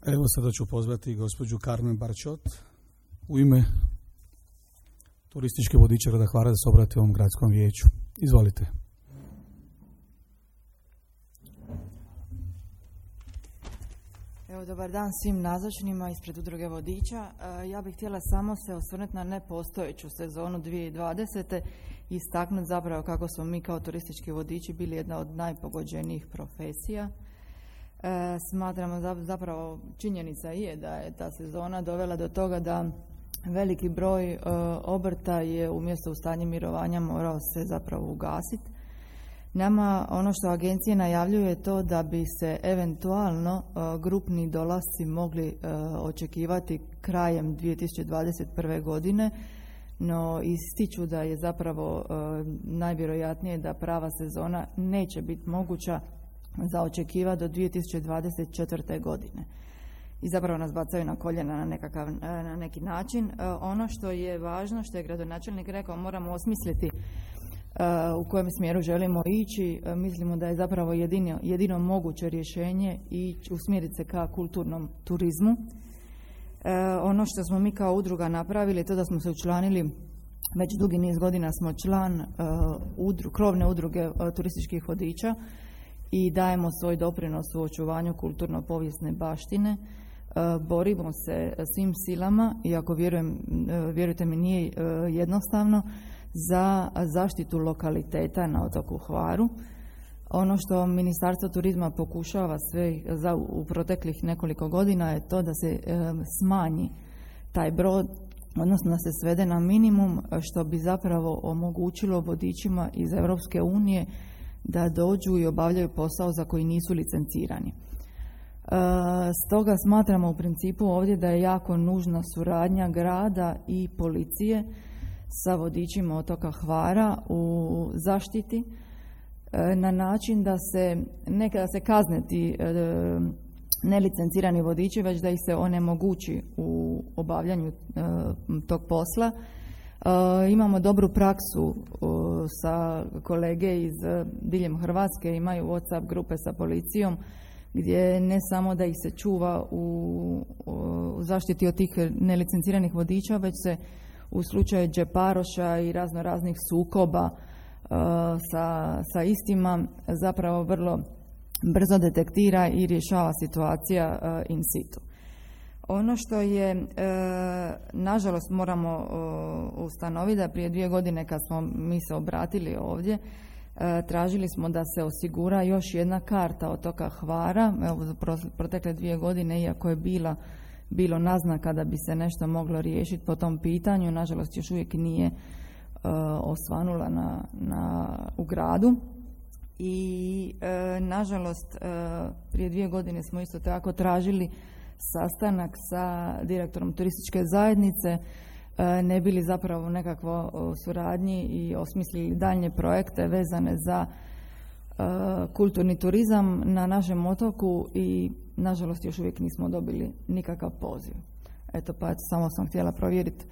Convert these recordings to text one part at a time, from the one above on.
Evo sada ću pozvati gospođu Carmen Barčot u ime turističke vodiče grada Hvara da se obrati ovom gradskom vijeću. Izvolite. Evo, dobar dan svim nazočnima ispred udruge vodiča. Ja bih htjela samo se osvrnuti na nepostojeću sezonu 2020. i istaknuti zapravo kako smo mi kao turistički vodiči bili jedna od najpogođenijih profesija. Smatramo zapravo, činjenica je da je ta sezona dovela do toga da veliki broj obrta je umjesto u stanje mirovanja morao se zapravo ugasiti. Nama ono što agencija najavljuje je to da bi se eventualno grupni dolasci mogli očekivati krajem 2021. godine, no ističu da je zapravo najvjerojatnije da prava sezona neće biti moguća za očekivati do 2024. godine. I zapravo nas bacaju na koljena na neki način. Ono što je važno, što je gradonačelnik rekao, moramo osmisliti u kojem smjeru želimo ići. Mislimo da je zapravo jedino moguće rješenje i usmjeriti se ka kulturnom turizmu. Ono što smo mi kao udruga napravili, to da smo se učlanili, već dugi niz godina smo član krovne udruge turističkih vodiča i dajemo svoj doprinos u očuvanju kulturno-povijesne baštine. Borimo se svim silama, iako vjerujte mi nije jednostavno, za zaštitu lokaliteta na otoku Hvaru. Ono što Ministarstvo turizma pokušava sve u proteklih nekoliko godina je to da se smanji taj broj, odnosno da se svede na minimum, što bi zapravo omogućilo vodičima iz Europske unije da dođu i obavljaju posao za koji nisu licencirani. Stoga smatramo u principu ovdje da je jako nužna suradnja grada i policije sa vodičima otoka Hvara u zaštiti na način da se nekada se kazne ti nelicencirani vodiči, već da ih se onemogući u obavljanju tog posla. Imamo dobru praksu sa kolege iz diljem Hrvatske, imaju WhatsApp grupe sa policijom gdje ne samo da ih se čuva u zaštiti od tih nelicenciranih vodiča, već se u slučaju džeparoša i raznih sukoba sa istima zapravo vrlo brzo detektira i rješava situacija in situ. Ono što je, nažalost, moramo ustanoviti da prije 2 godine kad smo mi se obratili ovdje, tražili smo da se osigura još jedna karta otoka Hvara. Evo, za protekle 2 godine, iako je bilo naznaka da bi se nešto moglo riješiti po tom pitanju, nažalost još uvijek nije osvanula u gradu. I nažalost prije 2 godine smo isto tako tražili sastanak sa direktorom turističke zajednice, ne bili zapravo nekakvo suradnji i osmislili daljnje projekte vezane za kulturni turizam na našem otoku i nažalost još uvijek nismo dobili nikakav poziv. Eto, pa samo sam htjela provjeriti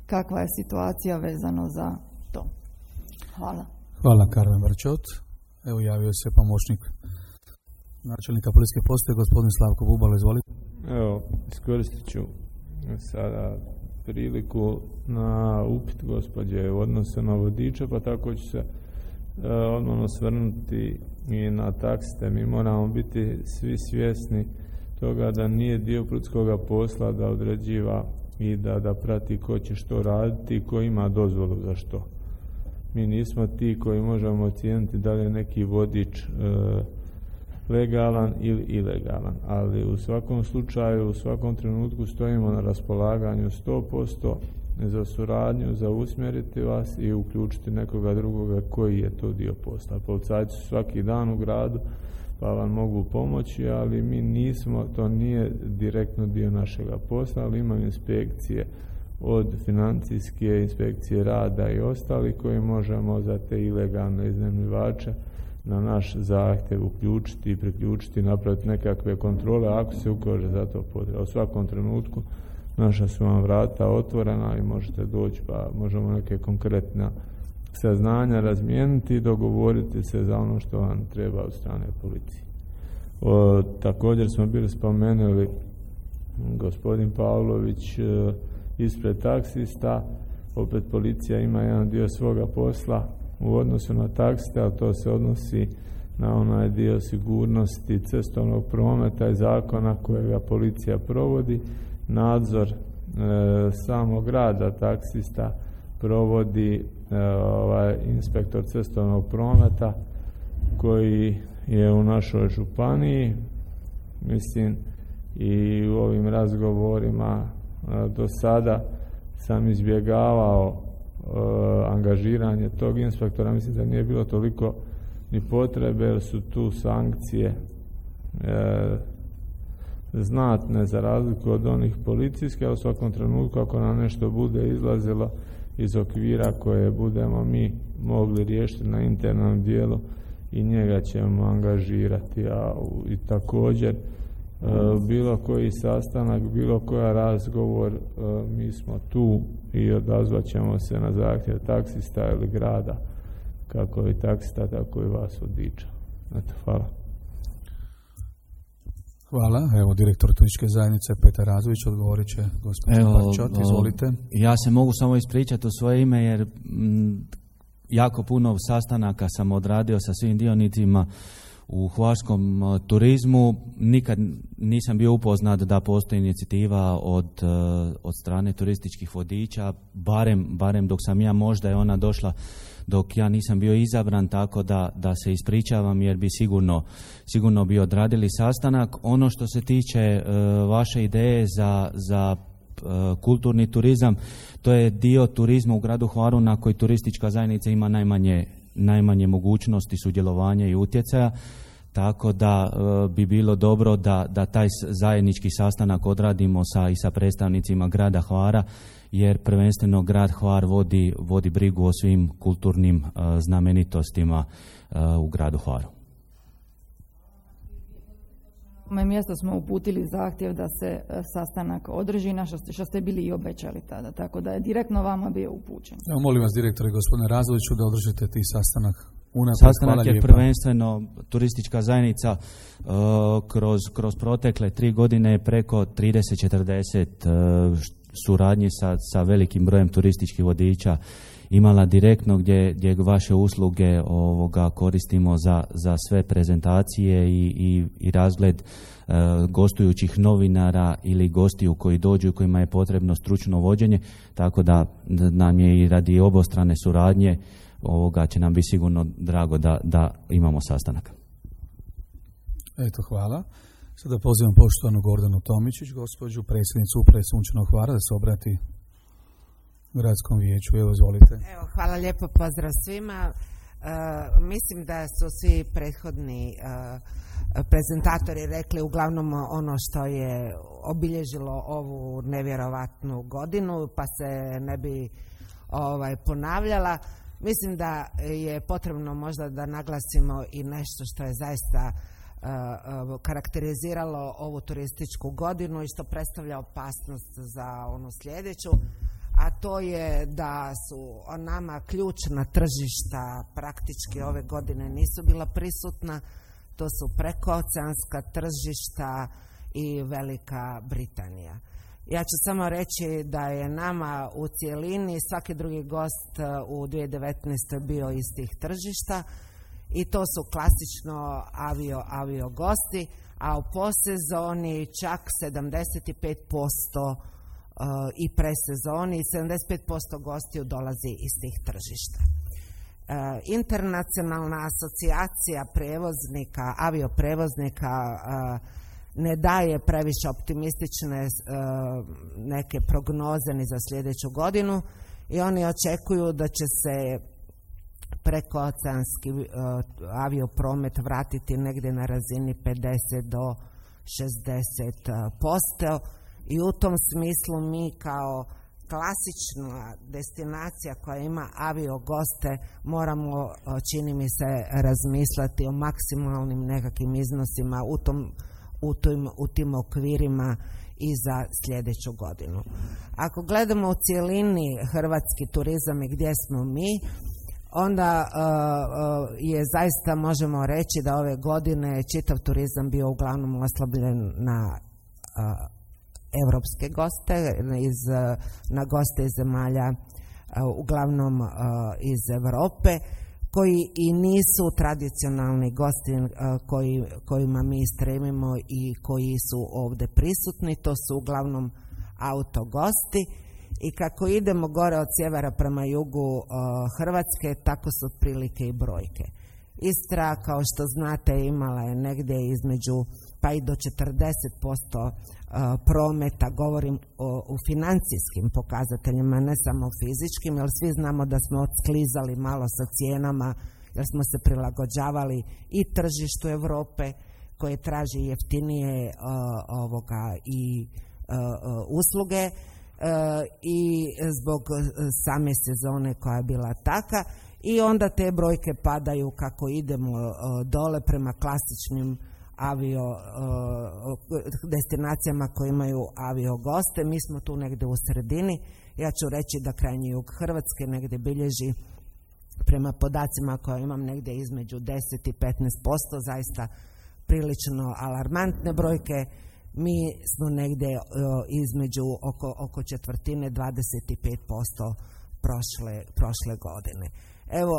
kakva je situacija vezano za to. Hvala. Hvala, Carmen Barčot. Evo, javio se pomoćnik načelnika policijske postaje, gospodin Slavko Bubalo, izvolite. Evo, iskoristit ću sada priliku na upit gospođe u odnosu na vodiča, pa tako ću se odmah osvrnuti i na taksiste. Mi moramo biti svi svjesni toga da nije dio prudskoga posla da određiva i da prati ko će što raditi i ko ima dozvolu za što. Mi nismo ti koji možemo ocijeniti da li je neki vodič legalan ili ilegalan, ali u svakom slučaju, u svakom trenutku stojimo na raspolaganju 100% za suradnju, za usmjeriti vas i uključiti nekoga drugoga koji je to dio posla. Policajci su svaki dan u gradu pa vam mogu pomoći, ali mi nismo, to nije direktno dio našega posla, ali imamo inspekcije od financijske inspekcije rada i ostali koji možemo za te ilegalne iznajmljivače na naš zahtjev uključiti i priključiti, napraviti nekakve kontrole ako se ukaže za to potreba. U svakom trenutku naša su vam vrata otvorena i možete doći pa možemo neke konkretna saznanja razmijeniti i dogovoriti se za ono što vam treba od strane policije. Također smo bili spomenuli gospodin Pavlović ispred taksista. Opet policija ima jedan dio svoga posla u odnosu na taksiste, ali to se odnosi na onaj dio sigurnosti cestovnog prometa i zakona kojega policija provodi. Nadzor samog rada taksista provodi inspektor cestovnog prometa koji je u našoj županiji. Mislim, i u ovim razgovorima do sada sam izbjegavao angažiranje tog inspektora. Mislim da nije bilo toliko ni potrebe, jer su tu sankcije znatne za razliku od onih policijskih, a u svakom trenutku ako nam nešto bude izlazilo iz okvira koje budemo mi mogli riješiti na internom dijelu, i njega ćemo angažirati. I također bilo koji sastanak, bilo koja razgovor, mi smo tu i odazvat ćemo se na zahtjev taksista ili grada, kako i taksista, tako i vas od Diča. Eto, hvala. Hvala. Evo, direktor turističke zajednice Petar Razović odgovorit će gospodin Barčot. Izvolite. Ja se mogu samo ispričati u svoje ime, jer jako puno sastanaka sam odradio sa svim dionicima u hvarskom turizmu. Nikad nisam bio upoznat da postoji inicijativa od strane turističkih vodiča, barem dok sam ja, možda je ona došla dok ja nisam bio izabran, tako da se ispričavam, jer bi sigurno bi odradili sastanak. Ono što se tiče vaše ideje za kulturni turizam, to je dio turizma u gradu Hvaru na koji turistička zajednica ima najmanje mogućnosti sudjelovanja i utjecaja, tako da bi bilo dobro da taj zajednički sastanak odradimo i sa predstavnicima grada Hvara, jer prvenstveno grad Hvar vodi brigu o svim kulturnim znamenitostima u gradu Hvaru. Na moje mjesto smo uputili zahtjev da se sastanak održi, na što ste bili i obećali tada, tako da je direktno vama bio upućen. Evo, molim vas, direktore, gospodine Razoviću, da održite ti sastanak. Sastanak je prvenstveno turistička zajednica kroz protekle 3 godine preko 30-40 suradnji sa velikim brojem turističkih vodiča imala direktno, gdje vaše usluge koristimo za sve prezentacije i razgled gostujućih novinara ili gostiju koji dođu i kojima je potrebno stručno vođenje, tako da nam je i radi obostrane suradnje će nam biti sigurno drago da imamo sastanak. Eto, hvala. Sada pozivam poštovanu Gordanu Tomičić, gospođu predsjednicu Uprave Sunčanog Hvara, da se obrati gradskom vijeću. Evo, izvolite. Evo, hvala lijepo, pozdrav svima. Mislim da su svi prethodni prezentatori rekli uglavnom ono što je obilježilo ovu nevjerovatnu godinu, pa se ne bi ponavljala. Mislim da je potrebno možda da naglasimo i nešto što je zaista karakteriziralo ovu turističku godinu i što predstavlja opasnost za onu sljedeću, a to je da su nama ključna tržišta praktički ove godine nisu bila prisutna. To su prekooceanska tržišta i Velika Britanija. Ja ću samo reći da je nama u cijelini svaki drugi gost u 2019. bio iz tih tržišta, i to su klasično avio gosti, a u posezoni čak 75% i presezoni, 75% gostiju dolazi iz tih tržišta. Internacionalna asocijacija avioprevoznika ne daje previše optimistične neke prognoze ni za sljedeću godinu, i oni očekuju da će se prekooceanski aviopromet vratiti negdje na razini 50 do 60%, i u tom smislu mi kao klasična destinacija koja ima aviogoste moramo, čini mi se, razmisliti o maksimalnim nekakvim iznosima u tim okvirima i za sljedeću godinu. Ako gledamo u cijelini hrvatski turizam i gdje smo mi, onda je zaista, možemo reći da ove godine čitav turizam bio uglavnom oslabljen na evropske goste, na goste iz zemalja uglavnom iz Europe, koji i nisu tradicionalni gosti kojima mi stremimo i koji su ovdje prisutni. To su uglavnom autogosti i kako idemo gore od sjevera prema jugu Hrvatske, tako su otprilike i brojke. Istra, kao što znate, imala je negdje između pa i do 40% prometa, govorim u financijskim pokazateljima, ne samo fizičkim, jer svi znamo da smo odsklizali malo sa cijenama, jer smo se prilagođavali i tržištu Europe koje traži jeftinije i usluge i zbog same sezone koja je bila taka, i onda te brojke padaju kako idemo dole prema klasičnim destinacijama koje imaju aviogoste. Mi smo tu negdje u sredini. Ja ću reći da krajnji jug Hrvatske negdje bilježi, prema podacima koje imam, negdje između 10 i 15%, zaista prilično alarmantne brojke. Mi smo negdje između oko četvrtine, 25% prošle godine. Evo,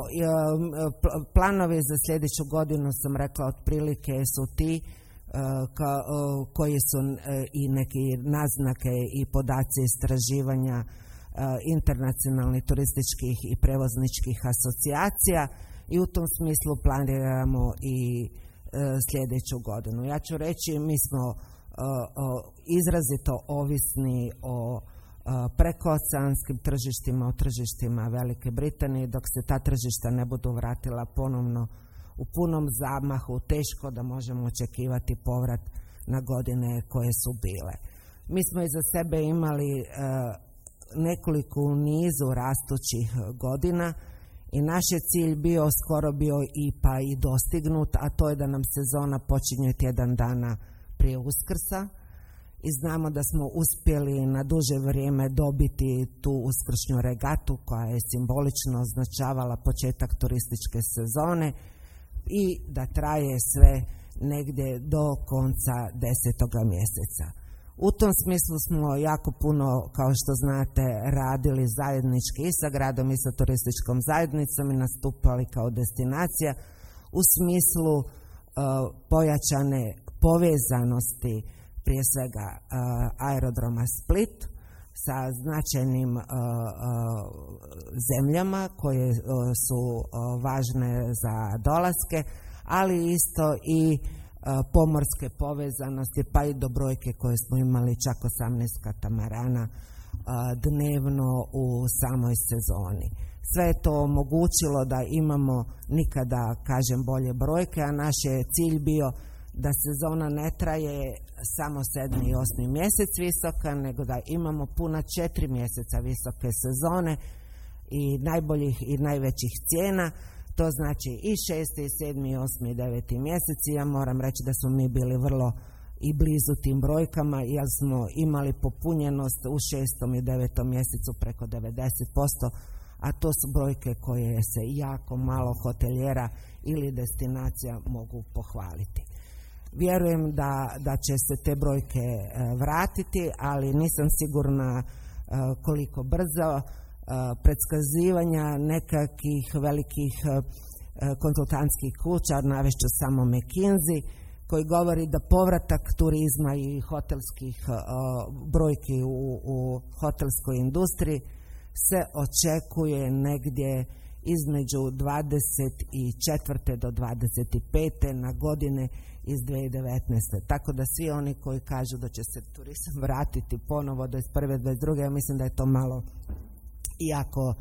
planovi za sljedeću godinu, sam rekla, otprilike su ti koji su i neki naznake i podaci istraživanja internacionalnih turističkih i prevozničkih asocijacija, i u tom smislu planiramo i sljedeću godinu. Ja ću reći, mi smo izrazito ovisni o prekooceanskim tržištima, o tržištima Velike Britanije. Dok se ta tržišta ne budu vratila ponovno u punom zamahu, teško da možemo očekivati povrat na godine koje su bile. Mi smo iza sebe imali nekoliko u nizu rastućih godina i naš je cilj skoro bio i dostignut, a to je da nam sezona počinje tjedan dana prije Uskrsa. I znamo da smo uspjeli na duže vrijeme dobiti tu uskršnju regatu koja je simbolično označavala početak turističke sezone i da traje sve negdje do konca 10. mjeseca. U tom smislu smo jako puno, kao što znate, radili zajednički i sa gradom i sa turističkom zajednicom i nastupali kao destinacija u smislu pojačane povezanosti, prije svega aerodroma Split sa značajnim zemljama koje su važne za dolaske, ali isto i pomorske povezanosti, pa i do brojke koje smo imali čak 18 katamarana dnevno u samoj sezoni. Sve je to omogućilo da imamo nikada, kažem, bolje brojke, a naš je cilj bio da sezona ne traje samo 7. i 8. mjesec visoka, nego da imamo puna 4 mjeseca visoke sezone i najboljih i najvećih cijena. To znači i 6., i 7., i 8. i 9. mjesec. Ja moram reći da smo mi bili vrlo i blizu tim brojkama, jer smo imali popunjenost u 6. i 9. mjesecu preko 90%, a to su brojke koje se jako malo hotelijera ili destinacija mogu pohvaliti. Vjerujem da će se te brojke vratiti, ali nisam sigurna koliko brzo. Predskazivanja nekakvih velikih konzultantskih kuća, navešću samo McKinsey, koji govori da povratak turizma i hotelskih brojki u hotelskoj industriji se očekuje negdje između 24. do 25. na godine iz 2019. Tako da svi oni koji kažu da će se turizam vratiti ponovo do 21. 22. ja mislim da je to malo jako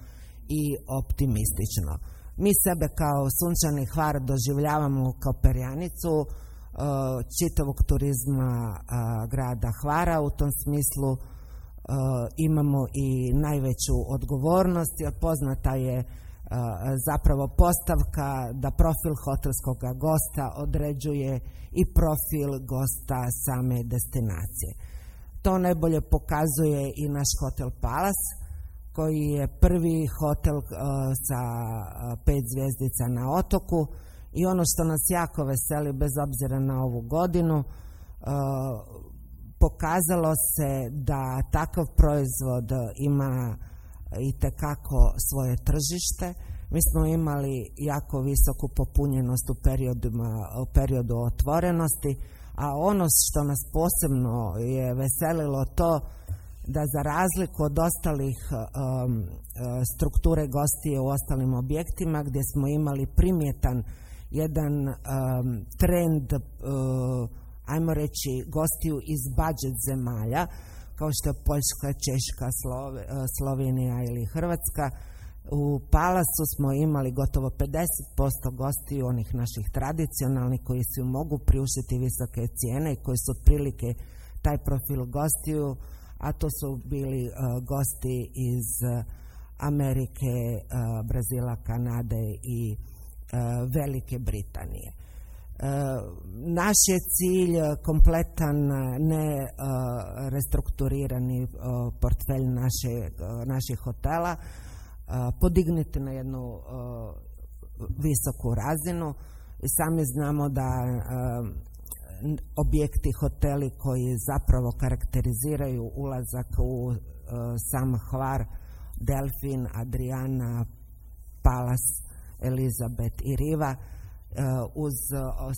i optimistično. Mi sebe kao Sunčani Hvar doživljavamo kao perjanicu čitavog turizma grada Hvara. U tom smislu imamo i najveću odgovornost, jer poznata je zapravo postavka da profil hotelskog gosta određuje i profil gosta same destinacije. To najbolje pokazuje i naš hotel Palace, koji je prvi hotel sa 5 zvjezdica na otoku, i ono što nas jako veseli bez obzira na ovu godinu, pokazalo se da takav proizvod ima itekako svoje tržište. Mi smo imali jako visoku popunjenost u periodu otvorenosti, a ono što nas posebno je veselilo to da za razliku od ostalih strukture gostije u ostalim objektima gdje smo imali primjetan jedan trend, ajmo reći, gostiju iz budžet zemalja, kao što je Poljska, Češka, Slovenija ili Hrvatska. U Palasu smo imali gotovo 50% gostiju onih naših tradicionalnih koji si mogu priuštiti visoke cijene i koji su otprilike taj profil gostiju, a to su bili gosti iz Amerike, Brazila, Kanade i Velike Britanije. Naš je cilj kompletan, ne restrukturirani portfelj naših hotela podignuti na jednu visoku razinu. I sami znamo da objekti, hoteli koji zapravo karakteriziraju ulazak u sam Hvar, Delfin, Adriana, Palas, Elizabeth i Riva, uz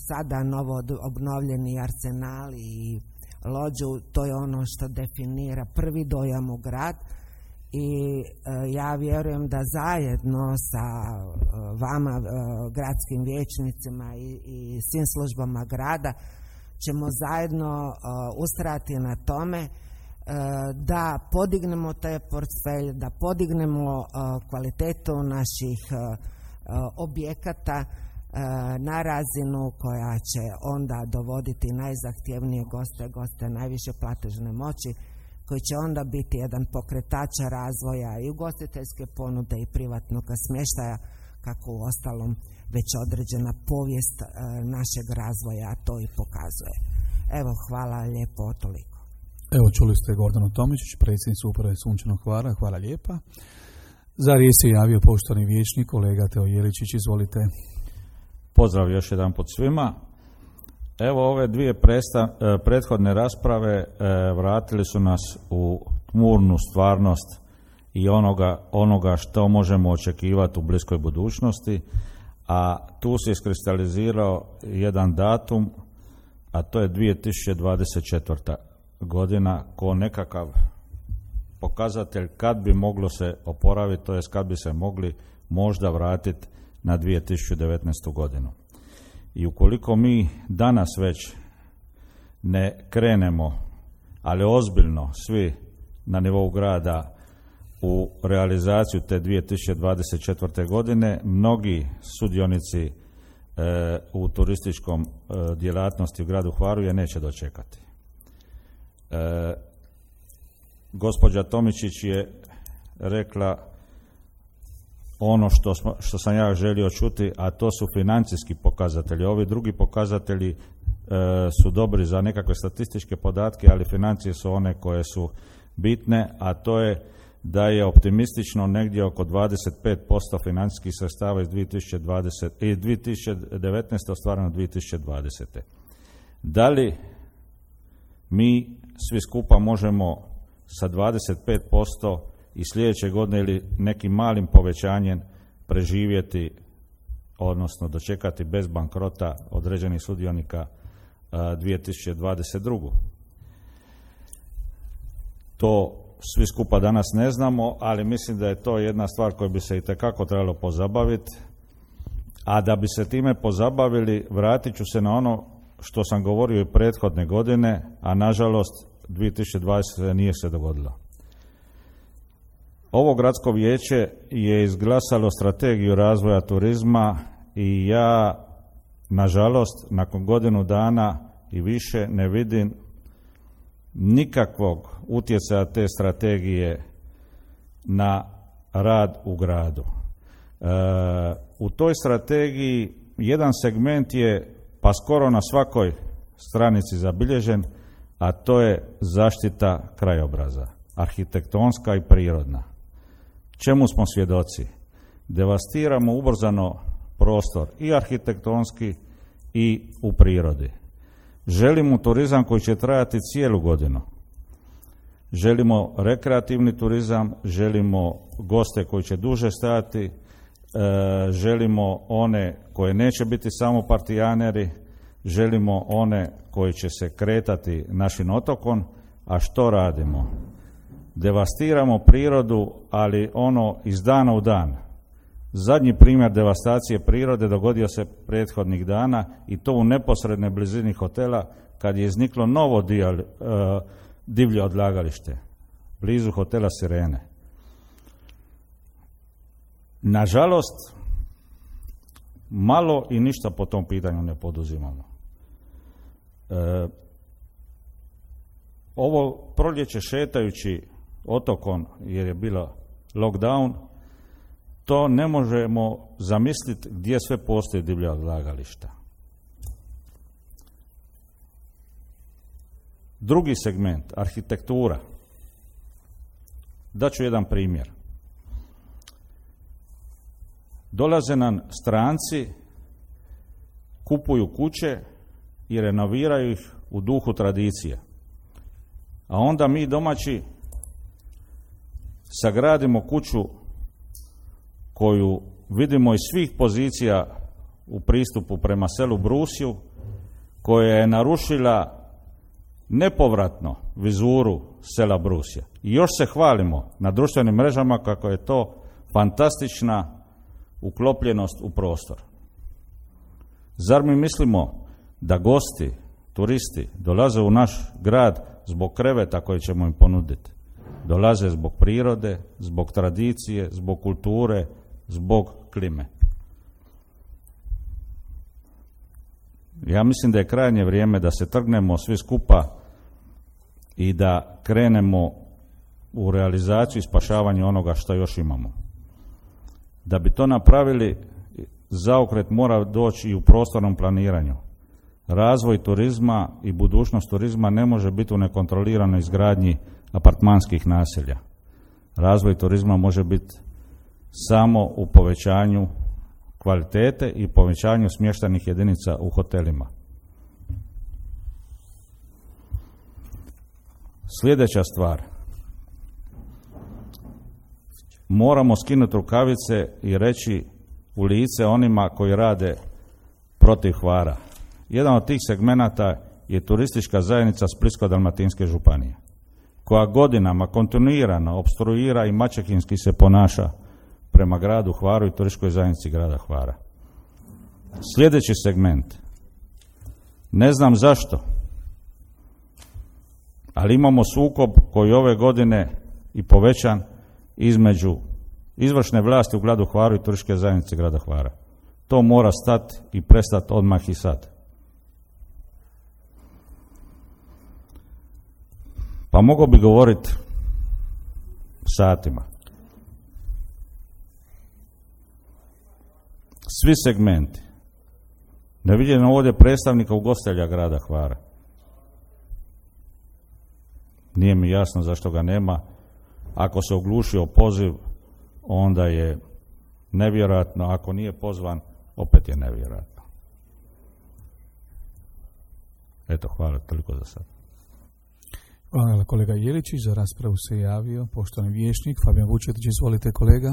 sada novo obnovljeni Arsenal i Lođu, to je ono što definira prvi dojam u grad. I ja vjerujem da zajedno sa vama, gradskim vijećnicima i svim službama grada, ćemo zajedno ustrajati na tome da podignemo taj portfelj, da podignemo kvalitetu naših objekata na razinu koja će onda dovoditi najzahtjevnije goste najviše platežne moći, koji će onda biti jedan pokretač razvoja i ugostiteljske ponude i privatnog smještaja, kako u ostalom već određena povijest našeg razvoja to i pokazuje. Evo, hvala lijepo, toliko. Evo, čuli ste Gordanu Tomičić, predsjednicu uprave Sunčanog Hvara, hvala lijepa. Za riječ se javio poštovani vijećnik, kolega Teo Jeličić, izvolite. Pozdrav još jedan put svima. Evo, ove dvije prethodne rasprave vratili su nas u tmurnu stvarnost i onoga što možemo očekivati u bliskoj budućnosti, a tu se iskristalizirao jedan datum, a to je 2024. godina ko nekakav pokazatelj kad bi moglo se oporaviti, to jest kad bi se mogli možda vratiti na 2019. godinu. I ukoliko mi danas već ne krenemo, ali ozbiljno svi na nivou grada u realizaciju te 2024. godine, mnogi sudionici u turističkom djelatnosti u gradu Hvaru je neće dočekati. Gospođa Tomičić je rekla ono što sam ja želio čuti, a to su financijski pokazatelji. Ovi drugi pokazatelji su dobri za nekakve statističke podatke, ali financije su one koje su bitne, a to je da je optimistično negdje oko 25% financijskih sredstava iz 2019. ostvareno 2020. Da li mi svi skupa možemo sa 25% i sljedeće godine ili nekim malim povećanjem preživjeti, odnosno dočekati bez bankrota određenih sudionika 2022. To svi skupa danas ne znamo, ali mislim da je to jedna stvar koju bi se itekako trebalo pozabaviti, a da bi se time pozabavili vratit ću se na ono što sam govorio i prethodne godine, a nažalost 2020. nije se dogodilo. Ovo gradsko vijeće je izglasalo strategiju razvoja turizma i ja, nažalost, nakon godinu dana i više ne vidim nikakvog utjecaja te strategije na rad u gradu. U toj strategiji jedan segment je pa skoro na svakoj stranici zabilježen, a to je zaštita krajobraza, arhitektonska i prirodna. Čemu smo svjedoci? Devastiramo ubrzano prostor i arhitektonski i u prirodi. Želimo turizam koji će trajati cijelu godinu. Želimo rekreativni turizam, želimo goste koji će duže stajati, želimo one koje neće biti samo partijaneri, želimo one koji će se kretati našim otokom, a što radimo? Devastiramo prirodu, ali ono iz dana u dan. Zadnji primjer devastacije prirode dogodio se prethodnih dana i to u neposrednoj blizini hotela kad je izniklo novo divlje odlagalište blizu hotela Sirene. Nažalost, malo i ništa po tom pitanju ne poduzimamo. Ovo proljeće šetajući otokom jer je bila lockdown, to ne možemo zamisliti gdje sve postoji divlja odlagališta. Drugi segment, arhitektura. Daću jedan primjer. Dolaze nam stranci, kupuju kuće i renoviraju ih u duhu tradicije. A onda mi domaći sagradimo kuću koju vidimo iz svih pozicija u pristupu prema selu Brusju, koja je narušila nepovratno vizuru sela Brusja. I još se hvalimo na društvenim mrežama kako je to fantastična uklopljenost u prostor. Zar mi mislimo da gosti, turisti dolaze u naš grad zbog kreveta koje ćemo im ponuditi? Dolaze zbog prirode, zbog tradicije, zbog kulture, zbog klime. Ja mislim da je krajnje vrijeme da se trgnemo svi skupa i da krenemo u realizaciju i spašavanje onoga što još imamo. Da bi to napravili, zaokret mora doći i u prostornom planiranju. Razvoj turizma i budućnost turizma ne može biti u nekontroliranoj izgradnji apartmanskih naselja. Razvoj turizma može biti samo u povećanju kvalitete i povećanju smještajnih jedinica u hotelima. Sljedeća stvar. Moramo skinuti rukavice i reći u lice onima koji rade protiv Hvara. Jedan od tih segmenata je turistička zajednica Splitsko-dalmatinske županije, koja godinama kontinuirano opstruira i maćehinski se ponaša prema gradu Hvaru i turističkoj zajednici grada Hvara. Sljedeći segment. Ne znam zašto, ali imamo sukob koji ove godine i povećan između izvršne vlasti u gradu Hvaru i turističke zajednice grada Hvara. To mora stati i prestati odmah i sad. Pa mogao bi govoriti satima. Svi segmenti. Ne vidim ovdje predstavnika ugostitelja grada Hvara. Nije mi jasno zašto ga nema. Ako se oglušio poziv, onda je nevjerojatno. Ako nije pozvan, opet je nevjerojatno. Eto, hvala, toliko za sad. Hvala kolega Jeličić, za raspravu se javio poštovani vijećnik Fabijan Vučetić. Izvolite kolega.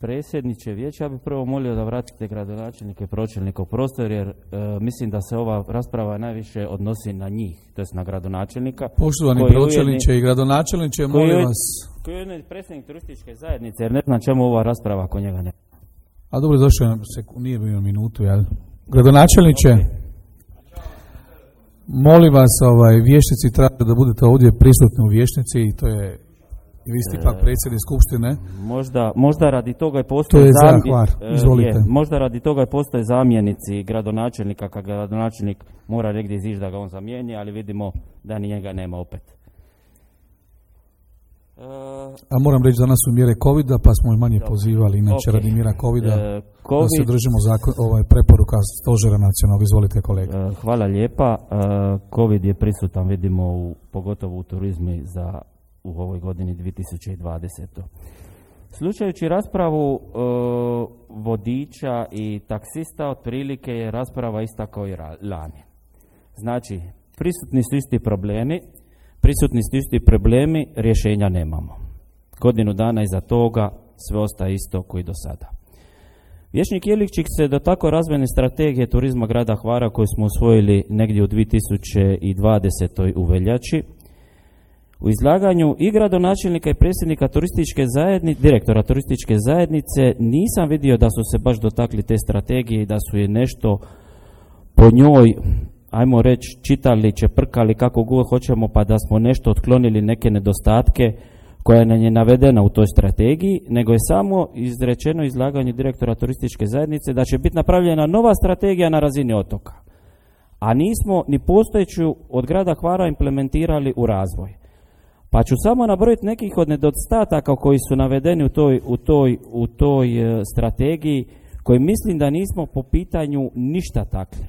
Predsjedniče vijeća, ja bih prvo molio da vratite gradonačelnike i pročelnika u prostor, jer mislim da se ova rasprava najviše odnosi na njih, to jest na gradonačelnika. Poštovani pročelniče i gradonačelniče, molim vas. Koji je ujedno predsjednik turističke zajednice, jer ne znam čemu ova rasprava ako njega ne. A dobro, došao nije bilo minutu, jel? Gradonačelniče, molim vas, vještnici traže da budete ovdje prisutni u vještnici i to je, vi ste ipak predsjednik skupštine. Možda radi toga i postoje možda radi toga i postoje zamjenici gradonačelnika, kad gradonačelnik mora negdje izići da ga on zamijeni, ali vidimo da ni njega nema opet. A moram reći, danas su mjere COVID-a, pa smo i manje pozivali, inače radi mjera COVID-a, da se držimo preporuka stožera nacionalnog. Izvolite kolega. Hvala lijepa. COVID je prisutan, vidimo, pogotovo u turizmu u ovoj godini 2020. Slušajući raspravu vodiča i taksista, otprilike je rasprava ista kao i lani. Znači, prisutni su isti problemi, rješenja nemamo. Godinu dana iza toga sve ostaje isto koji do sada. Vječnik Jeličić se dotakao razvojne strategije turizma grada Hvara koju smo usvojili negdje u 2020. u veljači. U izlaganju i gradonačelnika i predsjednika direktora turističke zajednice nisam vidio da su se baš dotakli te strategije i da su je nešto po njoj, ajmo reći, čitali, čeprkali kako god hoćemo, pa da smo nešto otklonili, neke nedostatke koja nam je navedena u toj strategiji, nego je samo izrečeno izlaganje direktora turističke zajednice da će biti napravljena nova strategija na razini otoka. A nismo ni postojeću od grada Hvara implementirali u razvoj. Pa ću samo nabrojiti nekih od nedostataka koji su navedeni u toj strategiji, koji mislim da nismo po pitanju ništa takli.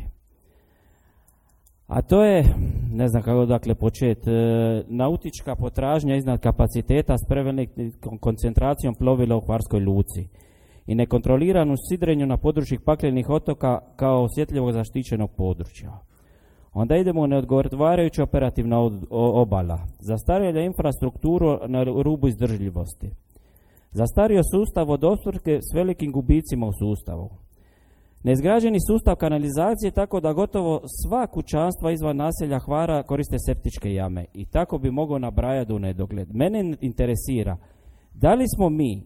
A to je, ne znam kako dakle početi, nautička potražnja iznad kapaciteta s prevelikom koncentracijom plovila u hvarskoj luci i nekontroliranu sidrenju na području paklenih otoka kao osjetljivog zaštićenog područja. Onda idemo u neodgovarajuća operativna obala, zastarjela infrastrukturu na rubu izdržljivosti, zastario sustav vodoopskrbe s velikim gubicima u sustavu, neizgrađeni sustav kanalizacije tako da gotovo sva kućanstva izvan naselja Hvara koriste septičke jame i tako bi mogao nabrajati u nedogled. Mene interesira da li smo mi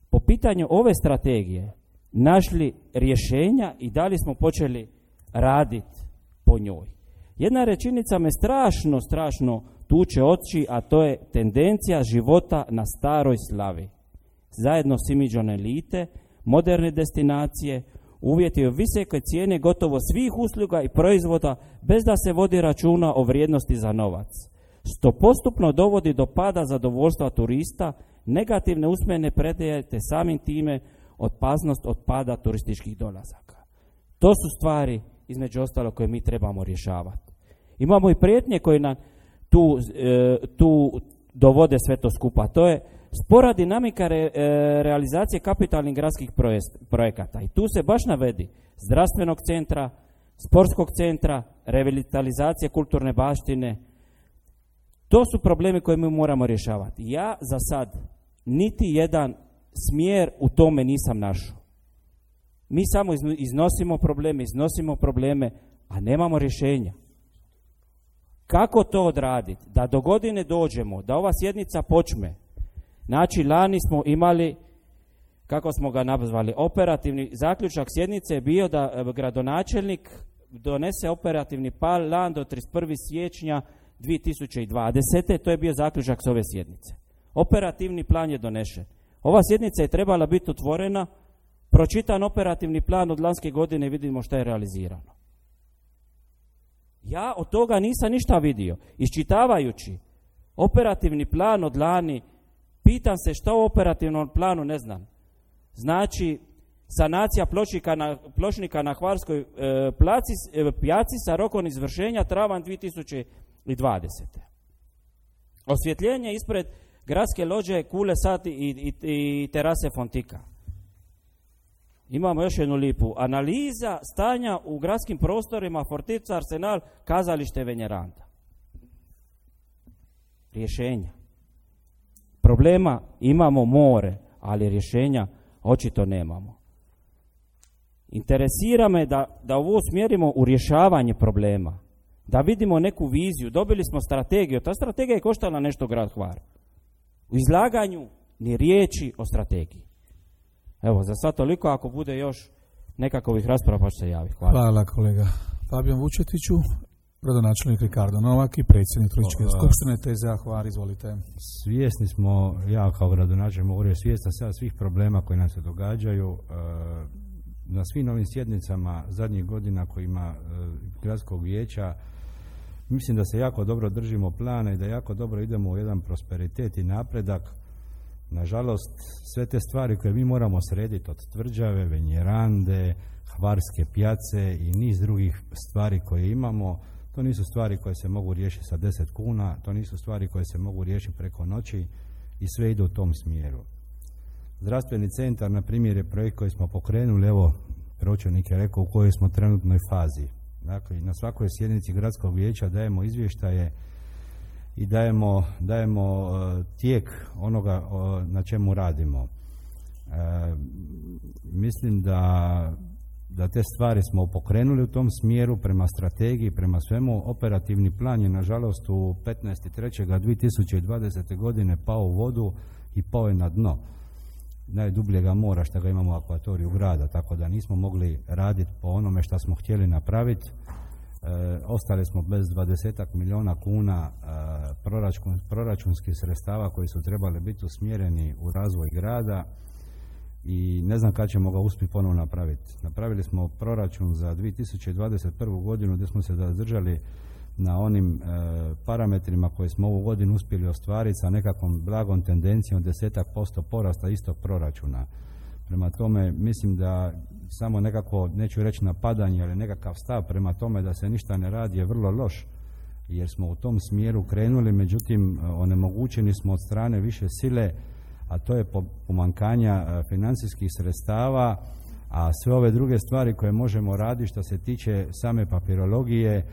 po pitanju ove strategije našli rješenja i da li smo počeli raditi po njoj. Jedna rečenica me strašno tuče oči, a to je tendencija života na staroj slavi. Zajedno s imidžom elite, moderne destinacije, uvjeti visoke cijene gotovo svih usluga i proizvoda bez da se vodi računa o vrijednosti za novac. Što postupno dovodi do pada zadovoljstva turista, negativne usmene predaje te samim time opasnost od pada turističkih dolazaka. To su stvari između ostalo koje mi trebamo rješavati. Imamo i prijetnje koje nam tu dovode sve to skupa. To je spora dinamika realizacije kapitalnih gradskih projekata. I tu se baš navedi zdravstvenog centra, sportskog centra, revitalizacije kulturne baštine. To su problemi koje mi moramo rješavati. Ja za sad niti jedan smjer u tome nisam našao. Mi samo iznosimo probleme, a nemamo rješenja. Kako to odraditi? Da do godine dođemo, da ova sjednica počne. Znači, lani smo imali, kako smo ga nazvali, operativni zaključak sjednice je bio da gradonačelnik donese operativni plan do 31. siječnja 2020. To je bio zaključak s ove sjednice. Operativni plan je donešen. Ova sjednica je trebala biti otvorena, pročitan operativni plan od lanske godine i vidimo što je realizirano. Ja od toga nisam ništa vidio. Iščitavajući operativni plan od lani, pitam se što u operativnom planu ne znam. Znači, sanacija pločnika na Hvarskoj pijaci sa rokom izvršenja travanj 2020. Osvjetljenje ispred gradske lođe Kule Sati i terase Fontika. Imamo još jednu lipu. Analiza stanja u gradskim prostorima Fortica, Arsenal, kazalište Venjeranda. Rješenja. Problema imamo more, ali rješenja očito nemamo. Interesira me da ovo usmjerimo u rješavanje problema. Da vidimo neku viziju. Dobili smo strategiju. Ta strategija je koštala nešto grad Hvar. U izlaganju ni riječi o strategiji. Evo, za sad toliko, ako bude još nekakvih rasprava pa ću se javiti. Hvala. Hvala kolega Fabijan Vučetiću, gradonačelnik Ricardo Novak i predsjednik Turističke skupštine TZA Hvar, izvolite. Svjesni smo, ja kao gradonačelnik mogu reći, svjestan sam svih problema koji nam se događaju. Na svim novim sjednicama zadnjih godina koji ima gradskog vijeća, mislim da se jako dobro držimo plana i da jako dobro idemo u jedan prosperitet i napredak. Nažalost, sve te stvari koje mi moramo srediti od Tvrđave, Venjerande, Hvarske pijace i niz drugih stvari koje imamo, to nisu stvari koje se mogu riješiti sa 10 kuna, to nisu stvari koje se mogu riješiti preko noći i sve ide u tom smjeru. Zdravstveni centar, na primjer, je projekt koji smo pokrenuli, evo, pročelnik je rekao u kojoj smo trenutnoj fazi. Dakle, na svakoj sjednici gradskog vijeća dajemo izvještaje i dajemo tijek onoga na čemu radimo. Mislim da te stvari smo pokrenuli u tom smjeru prema strategiji, prema svemu. Operativni plan je nažalost u 15.3.2020. godine pao u vodu i pao je na dno najdubljega mora što ga imamo u akvatoriju grada, tako da nismo mogli raditi po onome što smo htjeli napraviti. Ostali smo bez 20 milijuna kuna proračunskih sredstava koji su trebali biti usmjereni u razvoj grada i ne znam kad ćemo ga uspjeti ponovno napraviti. Napravili smo proračun za 2021. godinu gdje smo se zadržali na onim parametrima koje smo ovu godinu uspjeli ostvariti sa nekakvom blagom tendencijom 10% porasta istog proračuna. Prema tome, mislim da samo nekako, neću reći napadanje, ali nekakav stav prema tome da se ništa ne radi je vrlo loš, jer smo u tom smjeru krenuli, međutim onemogućeni smo od strane više sile, a to je pomankanja financijskih sredstava, a sve ove druge stvari koje možemo raditi što se tiče same papirologije,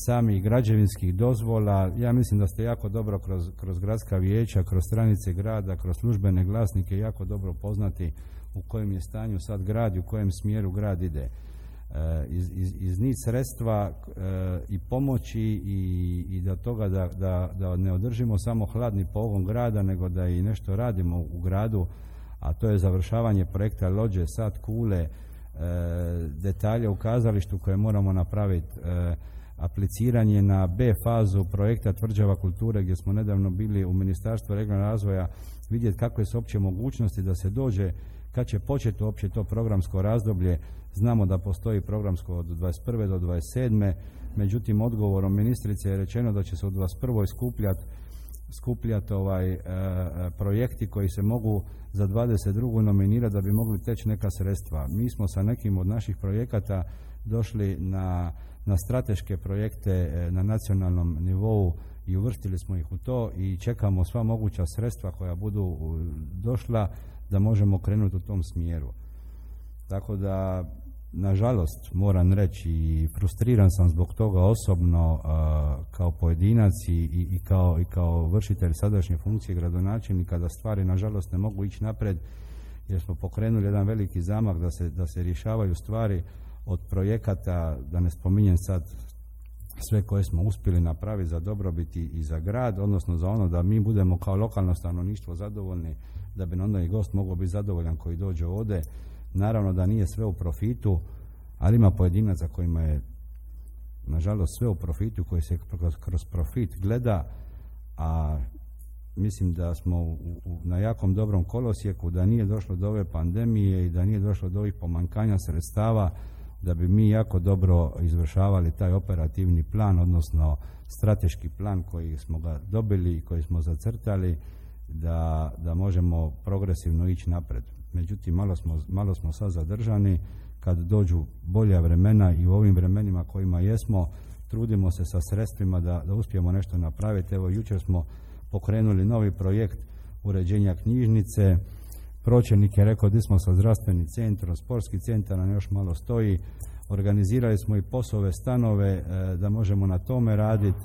samih građevinskih dozvola, ja mislim da ste jako dobro kroz gradska vijeća, kroz stranice grada, kroz službene glasnike jako dobro poznati u kojem je stanju sad grad i u kojem smjeru grad ide. Iz niz sredstva i pomoći i do toga da ne održimo samo hladni pogon grada, nego da i nešto radimo u gradu, a to je završavanje projekta lođe, sad kule, detalje u kazalištu koje moramo napraviti, apliciranje na B fazu projekta Tvrđava kulture gdje smo nedavno bili u Ministarstvu regionalnog razvoja vidjeti kakve su opće mogućnosti da se dođe, kad će početi uopće to programsko razdoblje. Znamo da postoji programsko od 21. do 27. Međutim, odgovorom ministrice je rečeno da će se u 21. skupljati projekti koji se mogu za 22. nominirati da bi mogli teći neka sredstva. Mi smo sa nekim od naših projekata došli na strateške projekte na nacionalnom nivou i uvrstili smo ih u to i čekamo sva moguća sredstva koja budu došla da možemo krenuti u tom smjeru. Tako da, nažalost, moram reći i frustriran sam zbog toga osobno kao pojedinac i kao vršitelj sadašnje funkcije gradonačelnika, da stvari nažalost ne mogu ići napred, jer smo pokrenuli jedan veliki zamah da se rješavaju stvari od projekata, da ne spominjem sad sve koje smo uspjeli napraviti za dobrobit i za grad, odnosno za ono da mi budemo kao lokalno stanovništvo zadovoljni, da bi onda i gost mogao biti zadovoljan koji dođe ovdje. Naravno da nije sve u profitu, ali ima pojedinaca kojima je nažalost sve u profitu, koji se kroz profit gleda, a mislim da smo na jakom dobrom kolosijeku, da nije došlo do ove pandemije i da nije došlo do ovih pomankanja sredstava, da bi mi jako dobro izvršavali taj operativni plan, odnosno strateški plan koji smo ga dobili i koji smo zacrtali, da možemo progresivno ići napred. Međutim, malo smo sad zadržani. Kad dođu bolja vremena i u ovim vremenima kojima jesmo, trudimo se sa sredstvima da uspijemo nešto napraviti. Evo, jučer smo pokrenuli novi projekt uređenja knjižnice. Pročelnik je rekao da smo sa zdravstvenim centrom, sportski centar nam još malo stoji. Organizirali smo i POS-ove stanove da možemo na tome raditi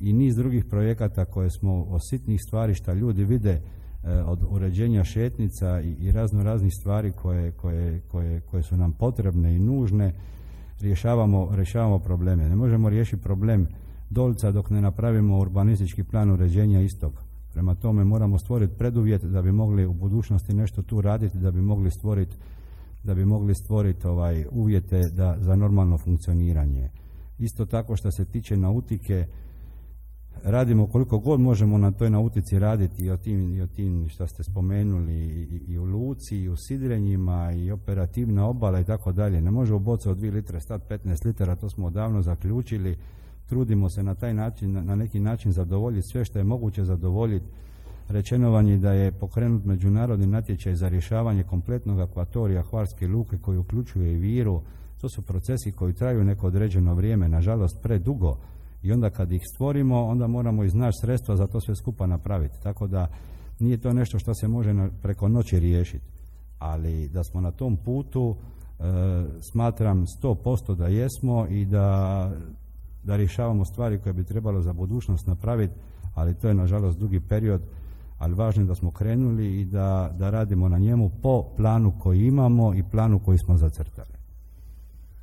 i niz drugih projekata koje smo od sitnih stvari što ljudi vide, od uređenja šetnica i raznih stvari koje su nam potrebne i nužne, rješavamo probleme. Ne možemo riješiti problem Dolca dok ne napravimo urbanistički plan uređenja istog. Prema tome moramo stvoriti preduvjet da bi mogli u budućnosti nešto tu raditi, da bi mogli stvoriti uvjete za normalno funkcioniranje. Isto tako što se tiče nautike, radimo koliko god možemo na toj nautici raditi i o tim što ste spomenuli i u luci i u sidrenjima i operativna obala i tako dalje. Ne može u bocu od 2 litre stati 15 litara, to smo odavno zaključili. Trudimo se na taj način, na neki način zadovoljiti sve što je moguće zadovoljiti. Rečeno vam je da je pokrenut međunarodni natječaj za rješavanje kompletnog akvatorija Hvarske luke koji uključuje i Viru. To su procesi koji traju neko određeno vrijeme, nažalost predugo. I onda kad ih stvorimo, onda moramo iznaći sredstva za to sve skupa napraviti. Tako da nije to nešto što se može preko noći riješiti. Ali da smo na tom putu, Smatram 100% da jesmo i da rješavamo stvari koje bi trebalo za budućnost napraviti, ali to je nažalost dugi period, ali važno je da smo krenuli i da radimo na njemu po planu koji imamo i planu koji smo zacrtali.